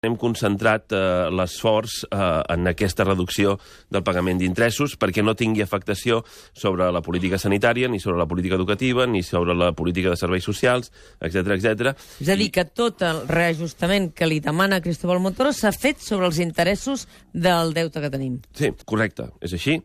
Hem concentrat l'esforç en aquesta reducció del pagament d'interessos perquè no tingui afectació sobre la política sanitària, ni sobre la política educativa, ni sobre la política de serveis socials, etc etc. És a dir, que tot el reajustament que li demana Cristóbal Montoro s'ha fet sobre els interessos del deute que tenim. Sí, correcte, és així.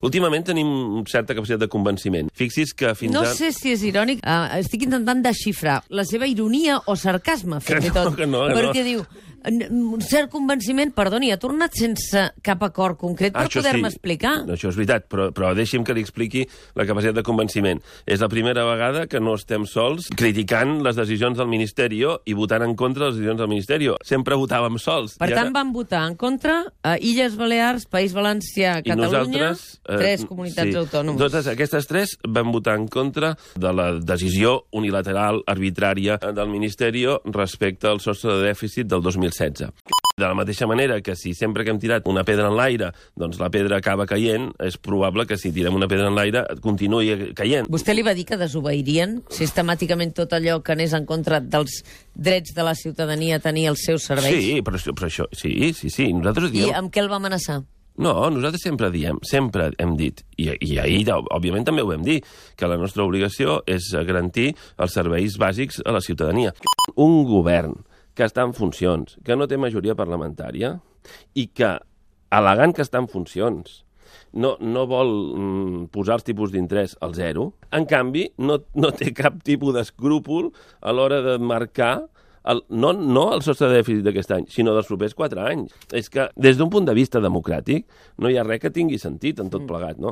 Últimament tenim certa capacitat de convenciment. Fixi's que fins No ara... sé si és irònic, estic intentant desxifrar la seva ironia o sarcasme, fins i tot. Que no. Perquè diu, un cert convenciment, perdoni, ha tornat sense cap acord concret per poder-me explicar. No, això és veritat, però deixi'm que li expliqui la capacitat de convenciment. És la primera vegada que no estem sols criticant les decisions del Ministeri i votant en contra de les decisions del Ministeri. Sempre votàvem sols. Per tant, van votar en contra a Illes Balears, País Valencià, Catalunya, tres comunitats autònomes. Totes aquestes tres van votar en contra de la decisió unilateral, arbitrària del Ministeri respecte al sostre de dèficit del 2016. De la mateixa manera que si sempre que hem tirat una pedra en l'aire, doncs la pedra acaba caient, és probable que si tirem una pedra en l'aire continuï caient. Vostè li va dir que desobeirien sistemàticament tot allò que anés en contra dels drets de la ciutadania a tenir els seus serveis? Sí, però això... Sí. Nosaltres diem... I amb què el va amenaçar? No, nosaltres sempre hem dit, i ahir, òbviament, també ho vam dir, que la nostra obligació és garantir els serveis bàsics a la ciutadania. Un govern que està en funcions, que no té majoria parlamentària i que, al·legant que està en funcions, no vol posar els tipus d'interès al zero, en canvi, no té cap tipus d'escrúpol a l'hora de marcar no el sostre de dèficit d'aquest any, sinó dels propers 4 anys. És que, des d'un punt de vista democràtic, no hi ha res que tingui sentit en tot plegat, no?